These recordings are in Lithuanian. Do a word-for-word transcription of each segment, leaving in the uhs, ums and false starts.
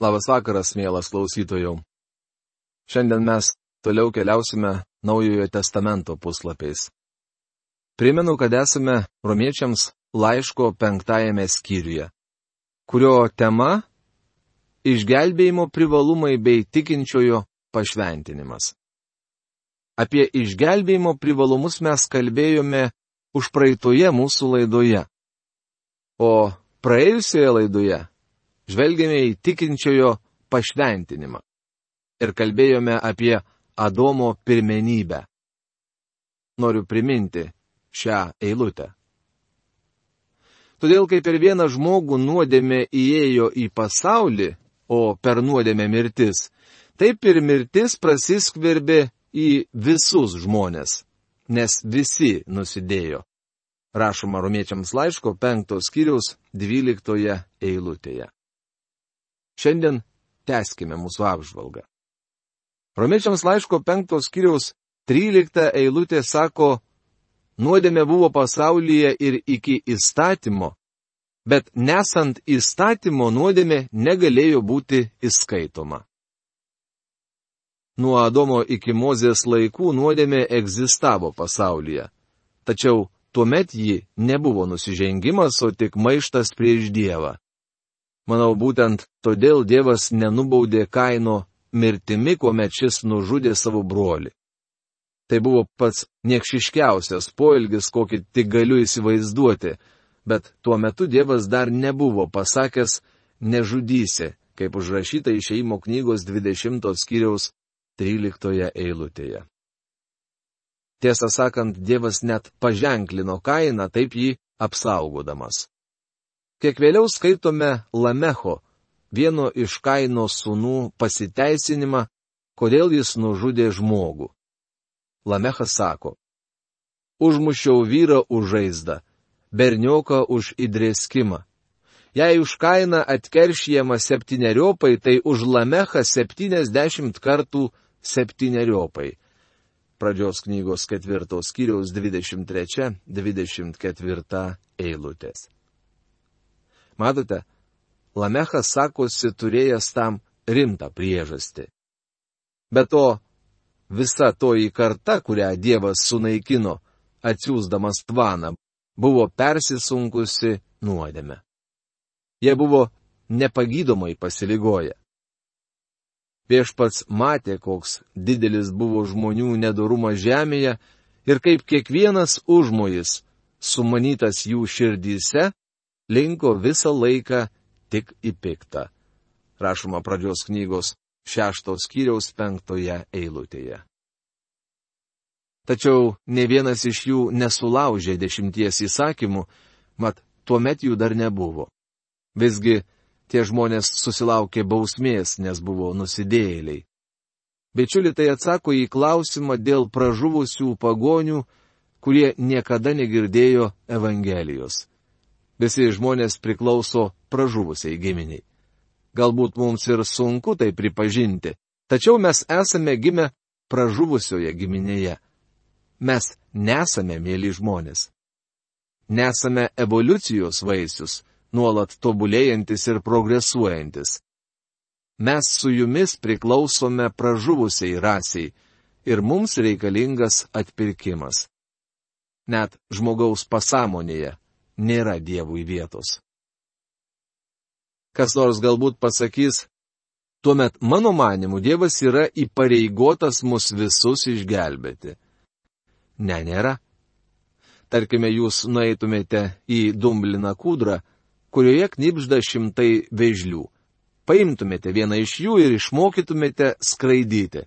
Labas vakaras, mielas klausytojau. Šiandien mes toliau keliausime Naujojo testamento puslapiais. Primenu, kad esame Romiečiams laiško penktajame skyriuje, kurio tema - išgelbėjimo privalumai bei tikinčiojo pašventinimas. Apie išgelbėjimo privalumus mes kalbėjome užpraeitoje mūsų laidoje, o praėjusioje laidoje žvelgėme į tikinčiojo pašventinimą ir kalbėjome apie Adomo pirmenybę. Noriu priminti šią eilutę. Todėl, kai per vieną žmogų nuodėmė įėjo į pasaulį, o per nuodėmę mirtis, taip ir mirtis prasiskverbė į visus žmones, nes visi nusidėjo. Rašoma Romiečiams laiško penktos skyriaus dvyliktoje eilutėje. Šiandien tęskime mūsų apžvalgą. Romiečiams laiško penktos skyriaus trylikta eilutė sako, nuodėmė buvo pasaulyje ir iki įstatymo, bet nesant įstatymo nuodėmė negalėjo būti įskaitoma. Nuo Adomo iki Mozės laikų nuodėmė egzistavo pasaulyje, tačiau tuomet ji nebuvo nusižengimas, o tik maištas prieš Dievą. Manau, būtent todėl Dievas nenubaudė Kaino mirtimi, kuomet šis nužudė savo brolį. Tai buvo pats niekšiškiausias poelgis, kokį tik galiu įsivaizduoti, bet tuo metu Dievas dar nebuvo pasakęs nežudysi, kaip užrašyta Išėjimo knygos dvidešimtos skyriaus tryliktoje eilutėje. Tiesą sakant, Dievas net paženklino Kainą, taip jį apsaugodamas. Kiek vėliau skaitome Lamecho, vieno iš Kaino sūnų pasiteisinimą, kodėl jis nužudė žmogų. Lamechas sako, užmušiau vyrą už žaizdą, bernioką už įdrėskimą. Jei už Kainą atkeršijama septyneriopai, tai už Lamechą septyniasdešimt kartų septyneriopai. Pradžios knygos ketvirtos skyriaus dvidešimt trečia dvidešimt ketvirta eilutės. Matote, Lamechas sakosi turėjęs tam rimtą priežastį. Be to, visa toji karta, kurią Dievas sunaikino, atsiųsdamas tvaną, buvo persisunkusi nuodėme. Jie buvo nepagydomai pasiligoję. Viešpats matė, koks didelis buvo žmonių nedorumas žemėje ir kaip kiekvienas užmojis, sumanytas jų širdyse, linko visą laiką tik į piktą. Rašoma Pradžios knygos šeštos skyriaus penktoje eilutėje. Tačiau ne vienas iš jų nesulaužė dešimties įsakymų, mat tuomet jų dar nebuvo. Visgi tie žmonės susilaukė bausmės, nes buvo nusidėjėliai. Bičiuli, tai atsako į klausimą dėl pražuvusių pagonių, kurie niekada negirdėjo Evangelijos. Visi žmonės priklauso pražuvusiai giminiai. Galbūt mums ir sunku tai pripažinti, tačiau mes esame gimę pražuvusioje giminėje. Mes nesame mėly žmonės. Nesame evoliucijos vaisius, nuolat tobulėjantis ir progresuojantis. Mes su jumis priklausome pražuvusiai rasiai ir mums reikalingas atpirkimas. Net žmogaus pasąmonėje nėra Dievui vietos. Kas nors galbūt pasakys, tuomet mano manimu Dievas yra įpareigotas mus visus išgelbėti. Ne, nėra. Tarkime, jūs nueitumėte į dumbliną kūdrą, kurioje knibžda šimtai vėžlių. Paimtumėte vieną iš jų ir išmokytumėte skraidyti.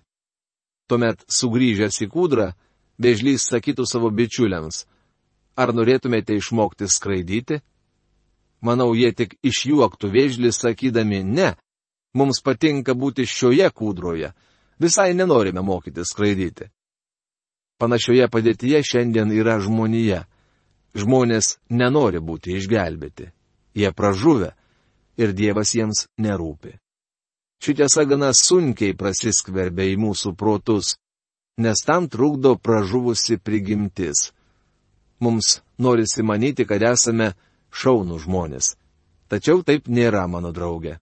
Tuomet, sugrįžęs į kūdrą, vėžlys sakytų savo bičiuliams, ar norėtumėte išmokti skraidyti? Manau, jie tik išjuoktų vėžlį sakydami, ne, mums patinka būti šioje kūdroje, visai nenorime mokyti skraidyti. Panašioje padėtyje šiandien yra žmonija. Žmonės nenori būti išgelbėti. Jie pražuvę ir Dievas jiems nerūpi. Ši tiesa gana sunkiai prasiskverbia į mūsų protus, nes tam trukdo pražuvusi prigimtis. Mums norisi manyti, kad esame šaunų žmonės. Tačiau taip nėra, mano draugė.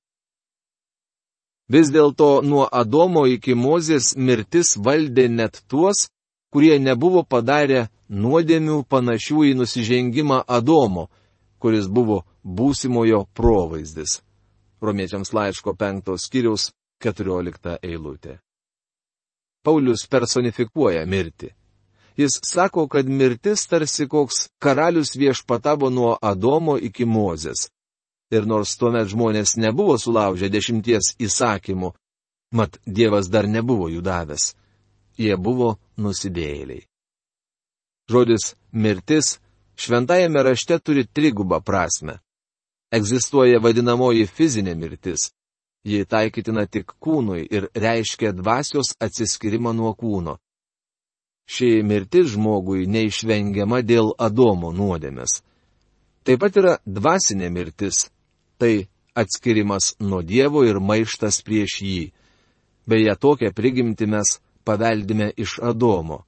Vis dėlto nuo Adomo iki Mozės mirtis valdė net tuos, kurie nebuvo padarę nuodėmių panašių į nusižengimą Adomo, kuris buvo būsimojo provaizdis. Romiečiams laiško penktos skyriaus keturiolikta eilutė. Paulius personifikuoja mirtį. Jis sako, kad mirtis tarsi koks karalius viešpatavo nuo Adomo iki Mozės. Ir nors tuomet žmonės nebuvo sulaužę dešimties įsakymų, mat Dievas dar nebuvo jų davęs. Jie buvo nusidėjėliai. Žodis mirtis šventajame rašte turi trigubą prasme. Egzistuoja vadinamoji fizinė mirtis. Ji taikytina tik kūnui ir reiškia dvasios atsiskyrimą nuo kūno. Ši mirtis žmogui neišvengiama dėl Adomo nuodėmės. Taip pat yra dvasinė mirtis. Tai atskirimas nuo Dievo ir maištas prieš jį. Beje, tokią prigimtį mes paveldime iš Adomo.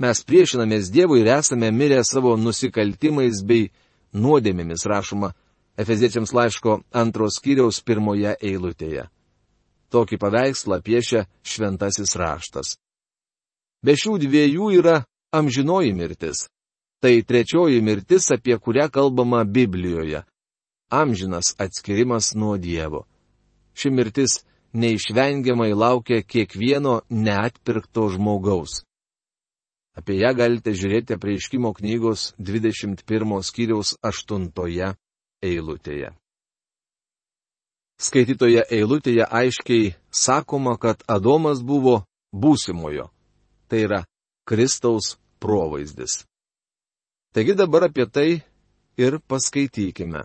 Mes priešinamės Dievui ir esame mirę savo nusikaltimais bei nuodėmėmis, rašoma Efeziečiams laiško antros skyriaus pirmoje eilutėje. Tokį paveikslą piešia šventasis raštas. Be šių dviejų yra amžinoji mirtis. Tai trečioji mirtis, apie kurią kalbama Biblijoje. Amžinas atskirimas nuo Dievo. Ši mirtis neišvengiamai laukia kiekvieno neatpirkto žmogaus. Apie ją galite žiūrėti Apreiškimo knygos dvidešimt pirmo skyriaus aštuntoje eilutėje. Skaitytoje eilutėje aiškiai sakoma, kad Adomas buvo būsimojo. Tai yra Kristaus provaizdis. Taigi dabar apie tai ir paskaitykime.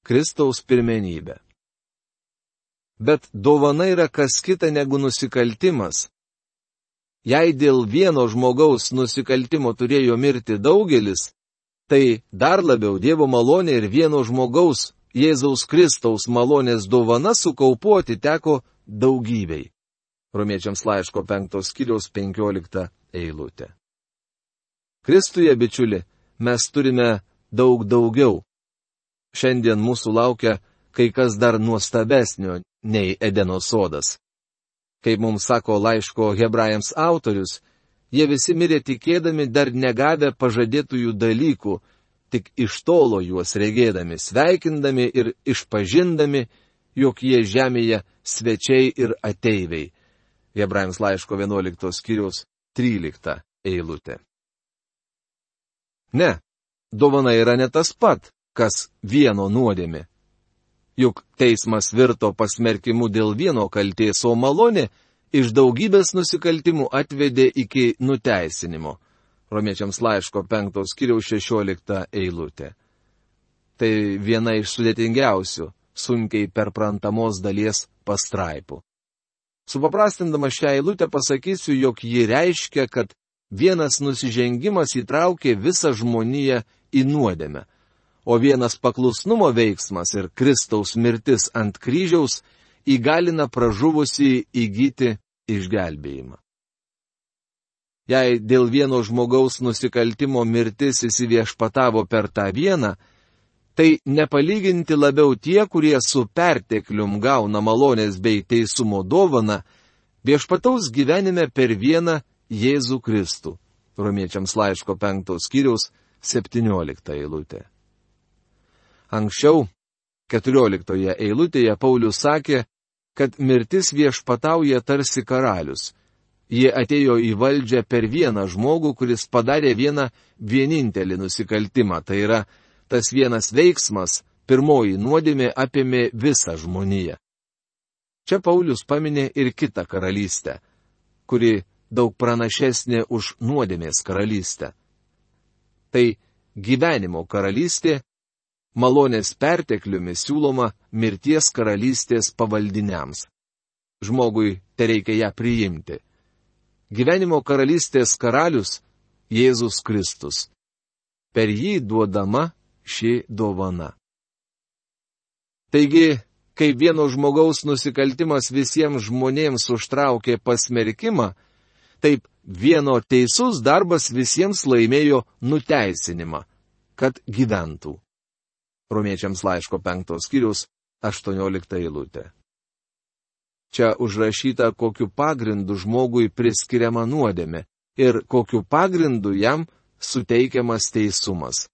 Kristaus pirmenybė. Bet dovana yra kas kita negu nusikaltimas. Jei dėl vieno žmogaus nusikaltimo turėjo mirti daugelis, tai dar labiau Dievo malonė ir vieno žmogaus, Jėzaus Kristaus malonės dovana sukaupuoti teko daugybei. Romiečiams laiško penktos skyriaus penkiolikta eilutė. Kristuje, bičiuli, mes turime daug daugiau. Šiandien mūsų laukia kai kas dar nuostabesnio nei Edeno sodas. Kaip mums sako laiško Hebrajams autorius, jie visi mirė tikėdami dar negavę pažadėtųjų dalykų, tik iš tolo juos regėdami, sveikindami ir išpažindami, jog jie žemėje svečiai ir ateiviai. Hebrajams laiško vienuoliktos skyriaus trylikta eilutė. Ne, dovana yra ne tas pat, kas vieno nuodėmė. Juk teismas virto pasmerkimu dėl vieno kaltės, o malonė iš daugybės nusikaltimų atvedė iki nuteisinimo. Romiečiams laiško penktos skyriaus šešiolikta eilutė. Tai viena iš sudėtingiausių, sunkiai perprantamos dalies pastraipų. Supaprastindama šią eilutę pasakysiu, jog ji reiškia, kad vienas nusižengimas įtraukė visą žmoniją į nuodėmę, o vienas paklusnumo veiksmas ir Kristaus mirtis ant kryžiaus įgalina pražuvusį įgyti išgelbėjimą. Jei dėl vieno žmogaus nusikaltimo mirtis įsiviešpatavo per tą vieną, tai nepalyginti labiau tie, kurie su perteklium gauna malonės bei teisumo dovaną, viešpataus gyvenime per vieną Jėzų Kristų. Romiečiams laiško penktos skyriaus septyniolikta eilutė. Anksčiau, keturioliktoje eilutėje Paulius sakė, kad mirtis viešpatauja tarsi karalius. Jie atėjo į valdžią per vieną žmogų, kuris padarė vieną vienintelį nusikaltimą. Tai yra, tas vienas veiksmas, pirmoji nuodėmė apėmė visą žmoniją. Čia Paulius paminė ir kitą karalystę, kuri daug pranašesnė už nuodėmės karalystę. Tai gyvenimo karalystė, malonės pertekliumi siūloma mirties karalystės pavaldiniams. Žmogui tereikia ją priimti. Gyvenimo karalystės karalius Jėzus Kristus. Per jį duodama ši dovana. Taigi, kaip vieno žmogaus nusikaltimas visiems žmonėms užtraukė pasmerkimą, taip vieno teisus darbas visiems laimėjo nuteisinimą, kad gyventų. Romiečiams laiško penktos skyriaus aštuoniolikta eilutė. Čia užrašyta, kokiu pagrindu žmogui priskiriama nuodėmė ir kokiu pagrindu jam suteikiamas teisumas.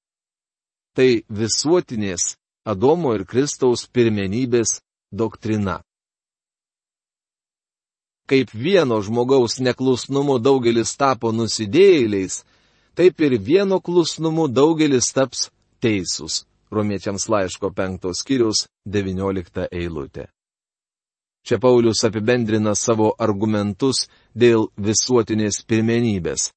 Tai visuotinės Adomo ir Kristaus pirmenybės doktrina. Kaip vieno žmogaus neklusnumu daugelis tapo nusidėjėliais, taip ir vieno klusnumu daugelis taps teisūs. Romiečiams laiško penktos skyriaus devyniolikta eilutė. Čia Paulius apibendrina savo argumentus dėl visuotinės pirmenybės.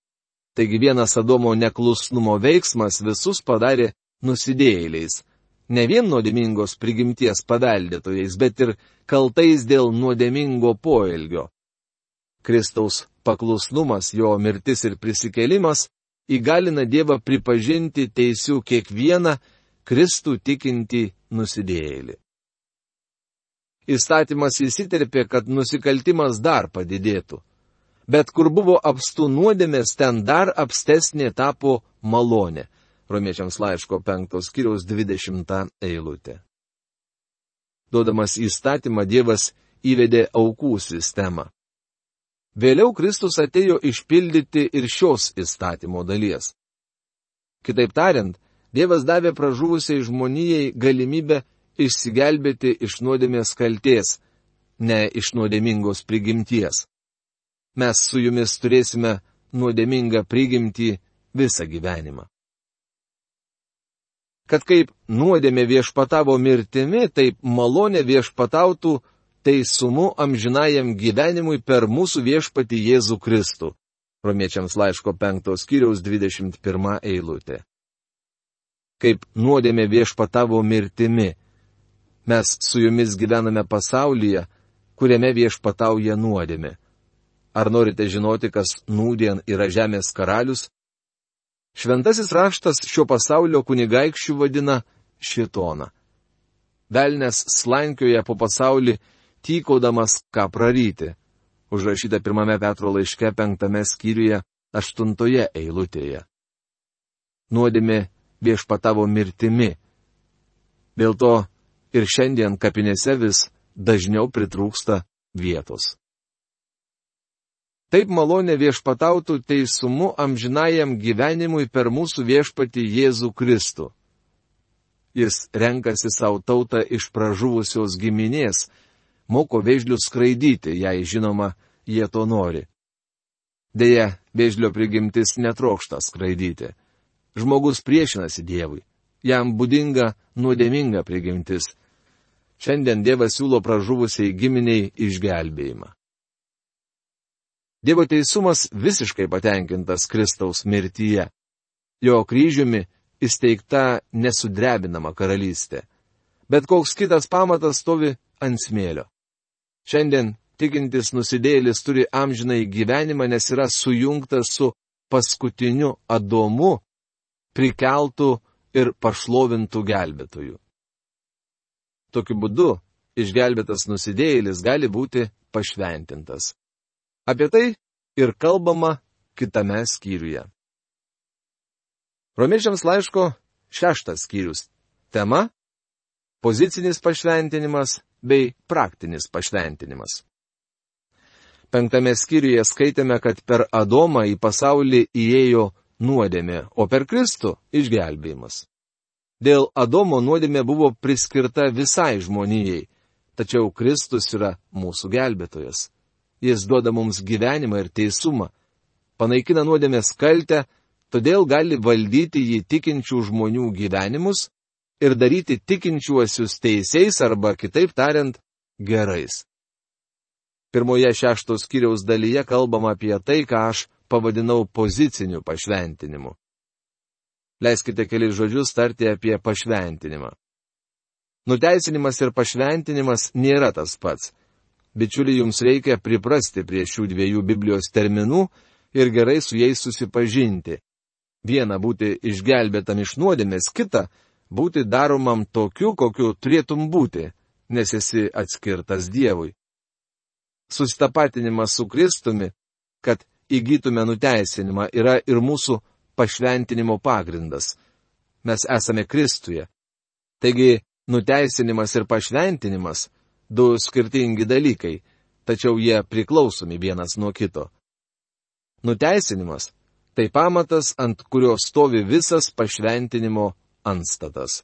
Taigi vienas Adomo neklusnumo veiksmas visus padarė nusidėjėliais. Ne vien nuodėmingos prigimties paveldėtojais, bet ir kaltais dėl nuodėmingo poelgio. Kristaus paklusnumas, jo mirtis ir prisikėlimas įgalina Dievą pripažinti teisių kiekvieną Kristų tikintį nusidėjėlį. Įstatymas įsiterpė, kad nusikaltimas dar padidėtų. Bet kur buvo apstu nuodėmės, ten dar apstesnė tapo malonė. Romiečiams laiško penktos skyriaus dvidešimta eilutė. Duodamas įstatymą, Dievas įvedė aukų sistemą. Vėliau Kristus atėjo išpildyti ir šios įstatymo dalies. Kitaip tariant, Dievas davė pražuvusiai žmonijai galimybę išsigelbėti iš nuodėmės kaltės, ne iš nuodėmingos prigimties. Mes su jumis turėsime nuodėmingą prigimtį visą gyvenimą. Kad kaip nuodėmė viešpatavo mirtimi, taip malonė viešpatautų teisumu amžinajam gyvenimui per mūsų viešpatį Jėzų Kristų. Romiečiams laiško penktos skyriaus dvidešimt pirma eilutė. Kaip nuodėmė viešpatavo mirtimi, mes su jumis gyvename pasaulyje, kuriame viešpatauja nuodėmė. Ar norite žinoti, kas nūdien yra žemės karalius? Šventasis raštas šio pasaulio kunigaikščių vadina šėtoną. Velnias slankioja po pasaulį, tykodamas ką praryti. Užrašyta pirmame Petro laiške penktame skyriuje aštuntoje eilutėje. Nuodėmė viešpatavo mirtimi. Dėl to ir šiandien kapinėse vis dažniau pritrūksta vietos. Taip malonė viešpatautų teisumu amžinajam gyvenimui per mūsų viešpatį Jėzų Kristų. Jis renkasi savo tautą iš pražuvusios giminės, moko vėžlius skraidyti, jei žinoma, jie to nori. Deja, vėžlio prigimtis netrokšta skraidyti. Žmogus priešinasi Dievui. Jam būdinga nuodėminga prigimtis. Šiandien Dievas siūlo pražuvusiai giminiai išgelbėjimą. Dievo teisumas visiškai patenkintas Kristaus mirtyje. Jo kryžiumi įsteigta nesudrebinama karalystė. Bet koks kitas pamatas stovi ant smėlio. Šiandien tikintis nusidėjėlis turi amžinai gyvenimą, nes yra sujungtas su paskutiniu Adomu, prikeltų ir pašlovintų gelbėtojų. Tokiu būdu išgelbėtas nusidėjėlis gali būti pašventintas. Apie tai ir kalbama kitame skyriuje. Romiečiams laiško šeštas skyrius. Tema – pozicinis pašventinimas bei praktinis pašventinimas. Penktame skyriuje skaitėme, kad per Adomą į pasaulį įėjo nuodėmė, o per Kristų išgelbėjimas. Dėl Adomo nuodėmė buvo priskirta visai žmonijai, tačiau Kristus yra mūsų gelbėtojas. Jis duoda mums gyvenimą ir teisumą, panaikina nuodėmės kaltę, todėl gali valdyti jį tikinčių žmonių gyvenimus ir daryti tikinčiuosius teisiais arba, kitaip tariant, gerais. Pirmoje šeštos skyriaus dalyje kalbama apie tai, ką aš pavadinau poziciniu pašventinimu. Leiskite keliais žodžius tarti apie pašventinimą. Nuteisinimas ir pašventinimas nėra tas pats. Bičiuliai, jums reikia priprasti prie šių dviejų Biblijos terminų ir gerai su jais susipažinti. Viena būti išgelbėtam iš nuodėmės, kita būti daromam tokiu, kokiu turėtum būti, nes esi atskirtas Dievui. Susitapatinimas su Kristumi, kad įgytume nuteisinimą, yra ir mūsų pašventinimo pagrindas. Mes esame Kristuje. Taigi, nuteisinimas ir pašventinimas – du skirtingi dalykai, tačiau jie priklausomi vienas nuo kito. Nuteisinimas – tai pamatas, ant kurio stovi visas pašventinimo antstatas.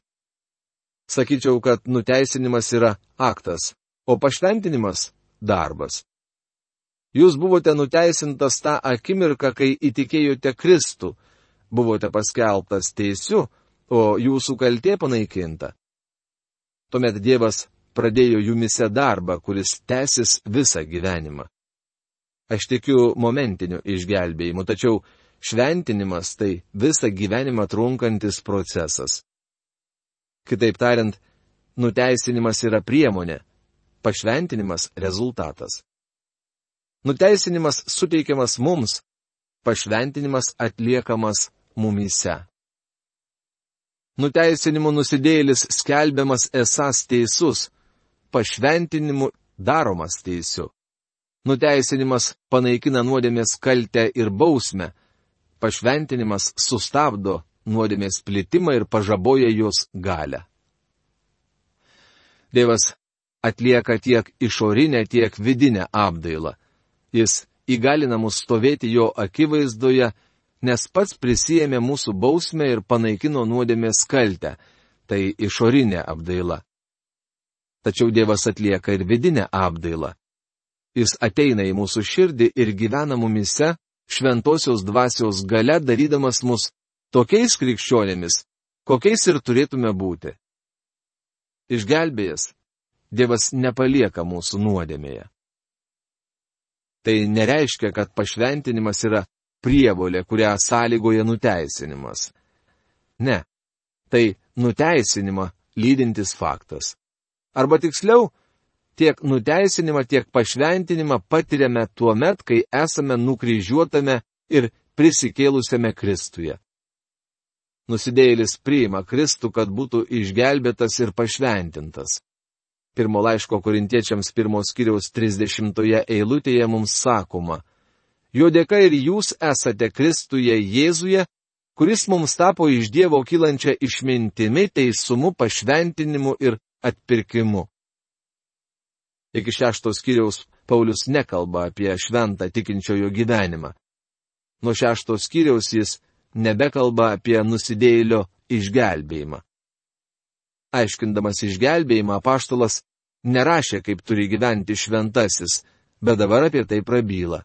Sakyčiau, kad nuteisinimas yra aktas, o pašventinimas – darbas. Jūs buvote nuteisintas tą akimirką, kai įtikėjote Kristų, buvote paskelbtas teisiu, o jūsų kaltė panaikinta. Tuomet Dievas pradėjo jumise darbą, kuris tęsis visą gyvenimą. Aš tikiu momentiniu išgelbėjimu, tačiau šventinimas tai visą gyvenimą trunkantis procesas. Kitaip tariant, nuteisinimas yra priemonė, pašventinimas rezultatas. Nuteisinimas suteikiamas mums, pašventinimas atliekamas mumyse. Nuteisinimu nusidėjėlis skelbiamas esąs teisus, pašventinimu daromas teisiu. Nuteisinimas panaikina nuodėmės kaltę ir bausmę, pašventinimas sustabdo nuodėmės plitimą ir pažaboja jos galią. Dievas atlieka tiek išorinę, tiek vidinę apdailą. Jis įgalina mus stovėti jo akivaizdoje, nes pats prisijėmė mūsų bausmę ir panaikino nuodėmės kaltę, tai išorinė apdaila. Tačiau Dievas atlieka ir vidinę apdailą. Jis ateina į mūsų širdį ir gyvena mumise šventosios dvasios galia, darydamas mus tokiais krikščionėmis, kokiais ir turėtume būti. Išgelbėjęs, Dievas nepalieka mūsų nuodėmėje. Tai nereiškia, kad pašventinimas yra prievolė, kurią sąlygoja nuteisinimas. Ne, tai nuteisinimą lydintis faktas. Arba tiksliau, tiek nuteisinimą, tiek pašventinimą patiriame tuo met, kai esame nukryžiuotame ir prisikėlusiame Kristuje. Nusidėjėlis priima Kristų, kad būtų išgelbėtas ir pašventintas. Pirmo laiško Korintiečiams pirmos skyriaus trisdešimtoje eilutėje mums sakoma: jo dėka ir jūs esate Kristuje Jėzuje, kuris mums tapo iš Dievo kylančia išmintimi, teisumu, pašventinimu ir atpirkimu. Iki šeštos skyriaus Paulius nekalba apie šventą tikinčiojo gyvenimą. Nuo šeštos skyriaus jis nebekalba apie nusidėjėlio išgelbėjimą. Aiškindamas išgelbėjimą, apaštalas nerašė, kaip turi gyventi šventasis, bet dabar apie tai prabyla.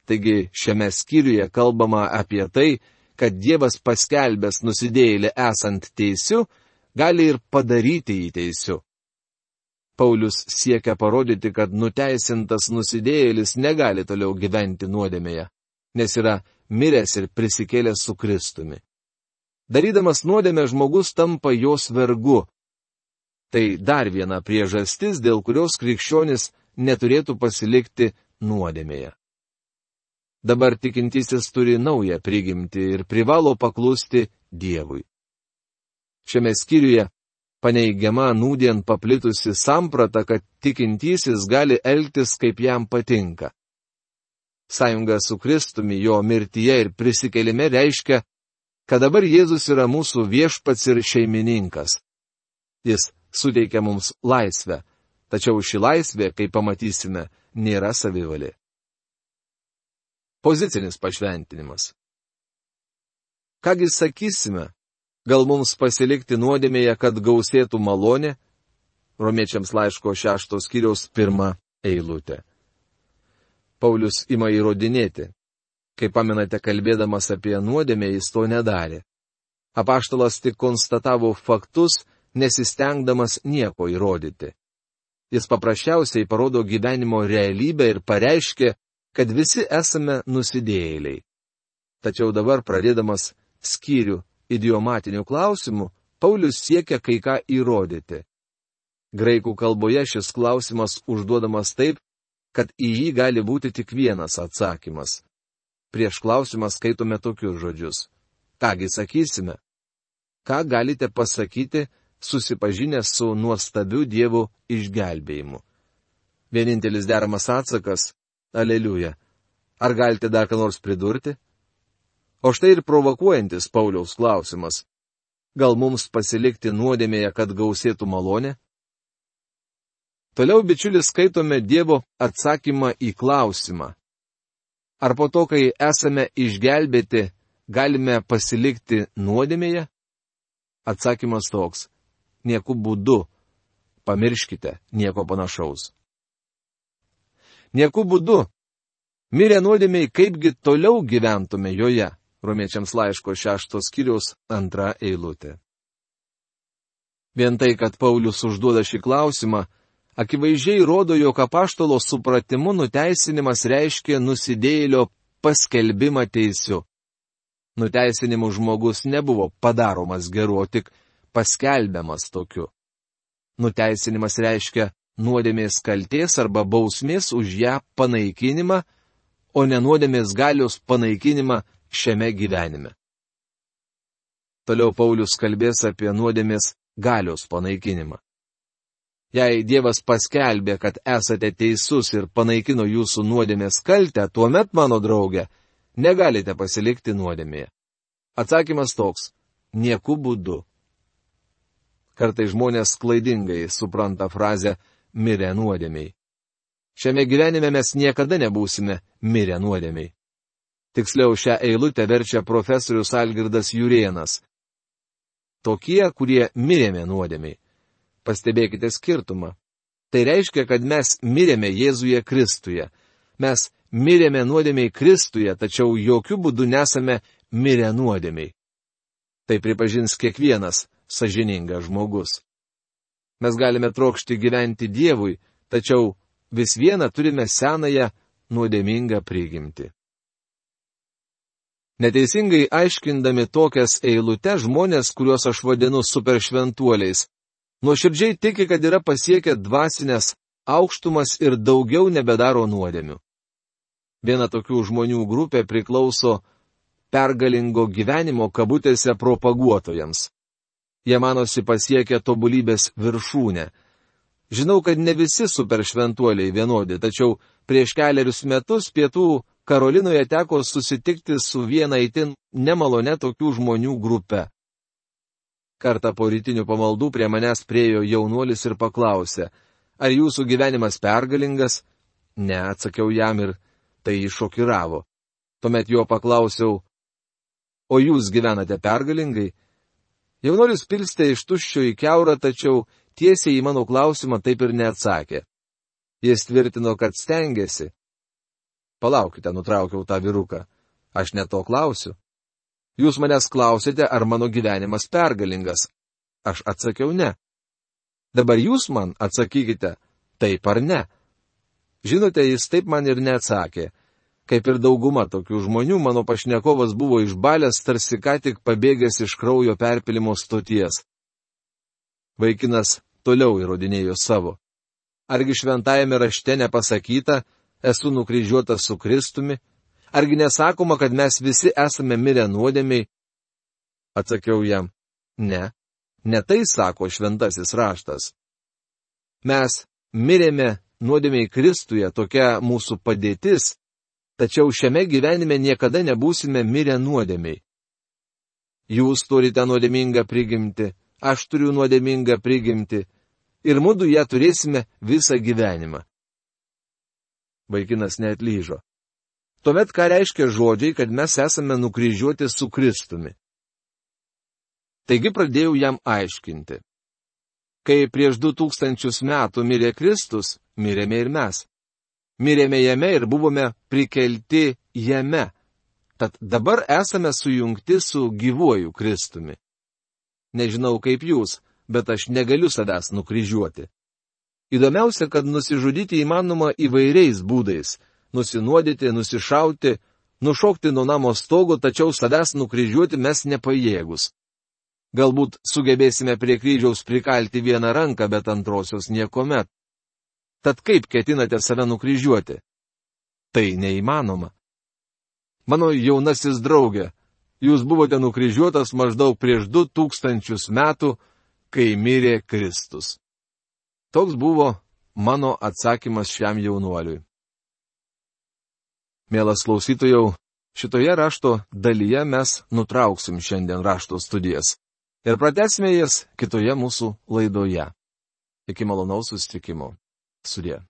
Taigi šiame skyriuje kalbama apie tai, kad Dievas paskelbęs nusidėjėlį esant teisiu, gali ir padaryti jį teisiu. Paulius siekia parodyti, kad nuteisintas nusidėjėlis negali toliau gyventi nuodėmėje, nes yra miręs ir prisikėlęs su Kristumi. Darydamas nuodėmę žmogus tampa jos vergu. Tai dar viena priežastis, dėl kurios krikščionis neturėtų pasilikti nuodėmėje. Dabar tikintysis turi naują prigimtį ir privalo paklusti Dievui. Šiame skyriuje paneigiama nūdien paplitusi samprata, kad tikintysis gali elgtis, kaip jam patinka. Sąjunga su Kristumi jo mirtyje ir prisikėlime reiškia, kad dabar Jėzus yra mūsų viešpats ir šeimininkas. Jis suteikia mums laisvę, tačiau ši laisvė, kaip pamatysime, nėra savivalė. Pozicinis pašventinimas. Kągi sakysime, gal mums pasilikti nuodėmėje, kad gausėtų malonė? Romiečiams laiško šeštos skyriaus pirma eilutė. Paulius ima įrodinėti. Kaip pamenate, kalbėdamas apie nuodėmę, jis to nedarė. Apaštalas tik konstatavo faktus, nesistengdamas nieko įrodyti. Jis paprasčiausiai parodo gyvenimo realybę ir pareiškė, kad visi esame nusidėjėliai. Tačiau dabar, pradėdamas skyrių idiomatinių klausimų, Paulius siekia kai ką įrodyti. Graikų kalboje šis klausimas užduodamas taip, kad į jį gali būti tik vienas atsakymas. Prieš klausimą skaitome tokius žodžius. Kągi sakysime? Ką galite pasakyti, susipažinę su nuostabiu Dievo išgelbėjimu? Vienintelis deramas atsakas - Aleliuja. Ar galite dar ką nors pridurti? O štai ir provokuojantis Pauliaus klausimas. Gal mums pasilikti nuodėmėje, kad gausėtų malonė? Toliau, bičiulis, skaitome Dievo atsakymą į klausimą. Ar po to, kai esame išgelbėti, galime pasilikti nuodėmėje? Atsakymas toks. Nieku būdu. Pamirškite, nieko panašaus. Nieku būdu. Mirę nuodėmiai, kaipgi toliau gyventume joje. Romiečiams laiško šeštos skyriaus antra eilutė. Vien tai, kad Paulius užduoda šį klausimą, akivaizdžiai rodo, jog apaštalo supratimu nuteisinimas reiškia nusidėjėlio paskelbimą teisiu. Nuteisinimu žmogus nebuvo padaromas geru, o tik paskelbiamas tokiu. Nuteisinimas reiškia nuodėmės kaltės arba bausmės už ją panaikinimą, o ne nuodėmės galios panaikinimą šiame gyvenime. Toliau Paulius kalbės apie nuodėmės galios panaikinimą. Jei Dievas paskelbė, kad esate teisus ir panaikino jūsų nuodėmės kaltę, tuomet, mano draugė, negalite pasilikti nuodėmėje. Atsakymas toks – nieku būdu. Kartai žmonės klaidingai supranta frazę mirę nuodėmiai. Šiame gyvenime mes niekada nebūsime mirę nuodėmiai. Tiksliau, šią eilutę verčia profesorius Algirdas Jurėnas. Tokie, kurie mirėme nuodėmiai. Pastebėkite skirtumą. Tai reiškia, kad mes mirėme Jėzuje Kristuje. Mes mirėme nuodėmiai Kristuje, tačiau jokių būdų nesame mirę nuodėmiai. Tai pripažins kiekvienas sąžiningas žmogus. Mes galime trokšti gyventi Dievui, tačiau vis viena turime senąją nuodėmingą prigimtį. Neteisingai aiškindami tokias eilutes žmonės, kuriuos aš vadinu superšventuoliais, nuoširdžiai tiki, kad yra pasiekę dvasinės aukštumas ir daugiau nebedaro nuodėmių. Viena tokių žmonių grupė priklauso pergalingo gyvenimo kabutėse propaguotojams. Jie manosi pasiekę tobulybės viršūnę. Žinau, kad ne visi superšventuoliai vienodi, tačiau prieš keliarius metus Pietų Karolinoje teko susitikti su viena itin nemalone tokių žmonių grupe. Kartą po rytinių pamaldų prie manęs priėjo jaunuolis ir paklausė, ar jūsų gyvenimas pergalingas? Ne, atsakiau jam ir tai jį šokiravo. Tuomet jo paklausiau, o jūs gyvenate pergalingai? Jaunuolis pilstė iš tuščio į kiaurą, tačiau tiesiai į mano klausimą taip ir neatsakė. Jis tvirtino, kad stengiasi. Palaukite, nutraukiau tą vyruką. Aš ne to klausiu. Jūs manęs klausėte, ar mano gyvenimas pergalingas. Aš atsakiau ne. Dabar jūs man atsakykite, taip ar ne. Žinote, jis taip man ir neatsakė. Kaip ir dauguma tokių žmonių, mano pašnekovas buvo išbalęs, tarsi ką tik pabėgęs iš kraujo perpilimo stoties. Vaikinas toliau įrodinėjo savo. Argi šventajame rašte nepasakyta, esu nukryžiuotas su Kristumi? Argi nesakoma, kad mes visi esame mirę nuodėmiai? Atsakiau jam, ne, ne tai sako šventasis raštas. Mes mirėme nuodėmiai Kristuje, tokia mūsų padėtis, tačiau šiame gyvenime niekada nebūsime mirę nuodėmiai. Jūs turite nuodėmingą prigimtį, aš turiu nuodėmingą prigimtį, ir mudu ją turėsime visą gyvenimą. Vaikinas neatlyžo. Tuomet ką reiškia žodžiai, kad mes esame nukryžiuoti su Kristumi? Taigi pradėjau jam aiškinti. Kai prieš du tūkstančius metų mirė Kristus, mirėme ir mes. Mirėme jame ir buvome prikelti jame. Tad dabar esame sujungti su gyvuoju Kristumi. Nežinau kaip jūs, bet aš negaliu savęs nukryžiuoti. Įdomiausia, kad nusižudyti įmanoma įvairiais būdais. Nusinuodyti, nusišauti, nušokti nuo namo stogo, tačiau savęs nukryžiuoti mes nepajėgus. Galbūt sugebėsime prie kryžiaus prikalti vieną ranką, bet antrosios niekomet. Tad kaip ketinate save nukryžiuoti? Tai neįmanoma. Mano jaunasis draugė, jūs buvote nukryžiuotas maždaug prieš du tūkstančius metų, kai mirė Kristus. Toks buvo mano atsakymas šiam jaunuoliui. Mielas klausytojau, šitoje rašto dalyje mes nutrauksim šiandien rašto studijas ir pratęsime jas kitoje mūsų laidoje. Iki malonaus susitikimo. Sudie.